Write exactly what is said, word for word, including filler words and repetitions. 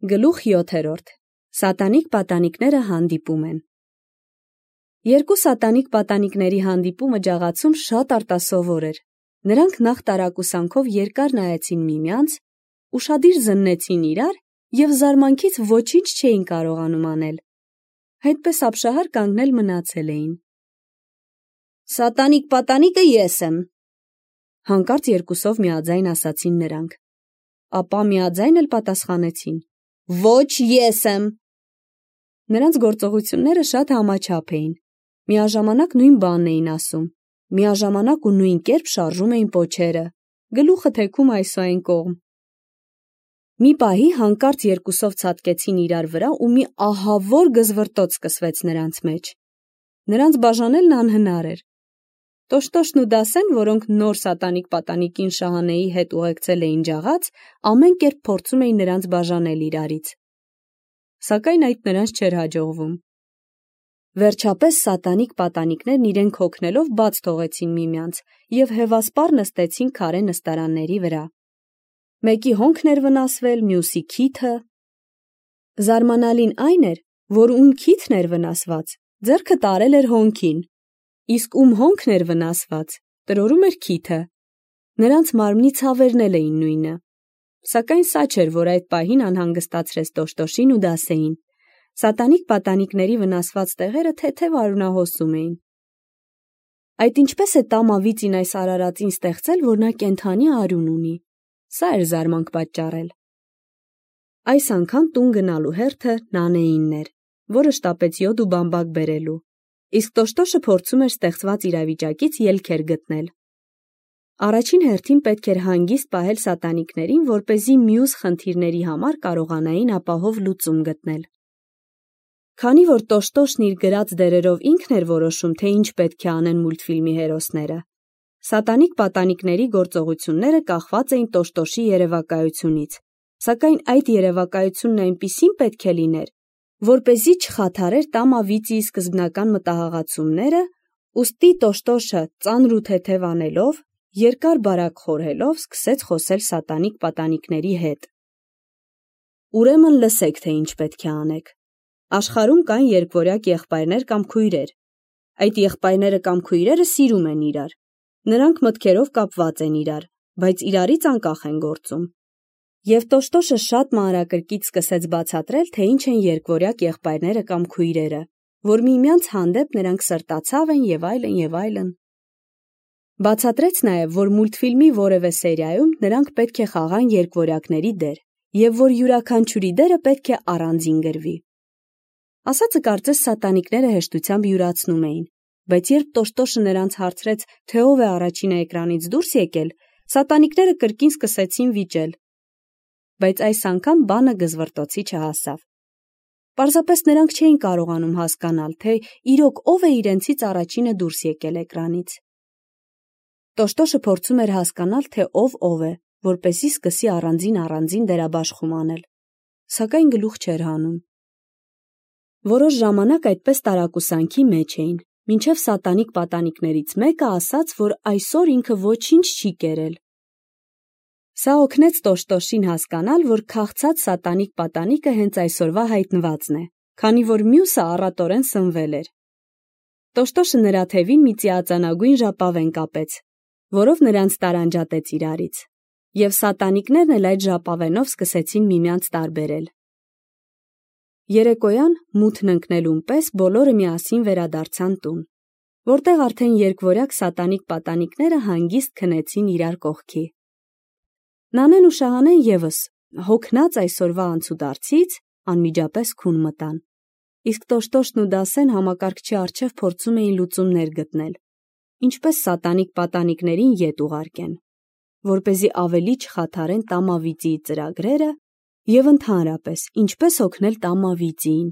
Գլուխ յոթերորդ. Սատանիկ պատանիքները հանդիպում են։ Երկու սատանիկ պատանիքների հանդիպումը ջաղացում շատ արտասովոր էր։ Նրանք նախ տարակուսանքով երկար նայեցին միմյանց, ուշադիր զննեցին իրար և զարմանքից ոչինչ չէին կարողանում անել։ Այդպես ապշահար կանգնել մնացել էին։ Սատանիկ պատանիկը ես եմ, հանկարծ երկուսով միաձայն ասացին նրանք։ Ապա միաձայն էլ պատասխանեցին. Ոչ ես եմ։ Նրանց գործողությունները շատ համաչափ էին, միաժամանակ նույն բանն էին ասում, միաժամանակ ու նույն կերպ շարժում էին պոչերը, գլուխը թեքում այս ու այն կողմ։ Մի պահի հանկարծ երկուսով ցատկեցին իրար վրա ու մի ահավոր գզվռտոց սկսվեց նրանց մեջ։ Նրանց բաժանելն անհնար էր։ Տոշտոշն ու Դասեն, որոնք նոր սատանիկ պատանիկին Շահանեի հետ ուղեկցել էին ջաղած, ամեն կերպ փորձում էին նրանց բաժանել իրարից։ Սակայն այդ նրանց չէր հաջողվում։ Վերջապես սատանիկ պատանիկներն իրենք հոգնելով բաց թողեցին միմյանց և հևասպառ նստեցին քարե նստարանների վրա։ Մեկի հոնքն էր վնասվել, մյուսի քիթը։ Զարմանալին այն էր, որ ում քիթն էր վնասված, ձեռքը տարել էր հոնքին, իսկ ում հոնքն էր վնասված, տրորում էր քիթը։ Նրանց մարմնի ցավերն էլ էին նույնը։ Սակայն սա չէր, որ այդ պահին անհանգստացրեց Տոշտոշին ու Դասեին։ Սատանիկ պատանիքների վնասված տեղերը թեթև արյունահոսում էին։ Այդ ինչպես է տամավիծին այս արարածին ստեղծել, որ նա կենդանի արյուն ունի։ Սա էր զարմանք պատճառել։ Այս անգամ տուն գնալու հերթը Նանեինն էր, որը շտապեց յոդ ու բամբակ բերելու, իսկ Տոշտոշը փորձում էր ստեղծված իրավիճակից ելքեր գտնել։ Առաջին հերթին պետք էր հանգիստ պահել սատանիկներին, որպեսզի մյուս խնդիրների համար կարողանային ապահով լուծում գտնել։ Քանի որ Տոշտոշն իր գրած դերերով ինքն էր որոշում, թե ինչ պետք է անեն մուլտֆիլմի հերոսները, սատանիկ պատանիքների գործողությունները կախված էին Տոշտոշի երևակայությունից, սակայն այդ երևակայությունն այնպիսին պետք է լիներ, որպեսզի չխաթարեր Տամավիծիի սկզբնական մտահղացումները, ուստի Տոշտոշը ծանր ու թեթև անելով, երկար բարակ խորհելով սկսեց խոսել սատանիկ պատանիքների հետ։ Ուրեմն լսեք, թե ինչ պետք է անեք։ Աշխարհում կան երկվորյակ եղբայրներ կամ քույրեր։ Այդ եղբայրները կամ քույրերը սիրում են իրար։ Նրանք մտքերով կապված են իրար, բայց իրարից անկախ են գործում։ Եվ Տոշտոշը շատ մանրակրկիտ սկսեց բացատրել, թե ինչ են երկվորյակ եղբայրները կամ քույրերը, որ միմյանց հանդեպ նրանք սրտացավ են և այլն և այլն։ Բացատրեց նաև, որ մուլտֆիլմի որևէ սերիայում նրանք պետք է խաղան երկվորյակների դեր, և որ յուրաքանչյուրի դերը պետք է առանձին գրվի։ Ասածը կարծես սատանիկները հեշտությամբ յուրացնում էին, բայց երբ Տոշտոշը նրանց հարցրեց, թե ով է առաջինը էկրանից դուրս եկել, սատանիկները կրկին սկսեցին վիճել։ Բայց այս անգամ բանը գզվռտոցի չհասավ։ Պարզապես նրանք չէին կարողանում հասկանալ, թե իրոք ով է իրենցից առաջինը դուրս եկել էկրանից։ Տոշտոշը փորձում էր հասկանալ, թե ով ով է, որպեսզի սկսի առանձին-առանձին դերաբաշխում անել, սակայն գլուխ չէր հանում։ Որոշ ժամանակ այդպես տարակուսանքի մեջ էին, մինչև սատանիկ պատանիքներից մեկը ասաց, որ այսօր ինքը ոչինչ չի կերել։ Սա օգնեց Տոշտոշին հասկանալ, որ քաղցած սատանիկ պատանիկը հենց այսօրվա հայտնվածն է, քանի որ մյուսը առատորեն սնվել էր։ Տոշտոշը նրա թևին մի ծիածանագույն ժապավեն կապեց, որով նրանց տարանջատեց իրարից, և սատանիկներն էլ այդ ժապավենով սկսեցին միմյանց տարբերել։ Երեկոյան մութն ընկնելուն պես բոլորը միասին վերադարձան տուն, որտեղ արդեն երկվորյակ սատանիկ պատանիքները հանգիստ քնեցին իրար կողքի։ Նանեն ու Շահանեն ևս, հոգնած այսօրվա անցուդարձից, անմիջապես քուն մտան, իսկ Տոշտոշն ու Դասեն համակարգչի առջև փորձում էին լուծումներ գտնել, ինչպես սատանիկ պատանիքներին ետ ուղարկեն, որպեսզի ավելի չխաթարեն Տամավիծիի ծրագրերը և ընդհանրապես ինչպես օգնել Տամավիծիին։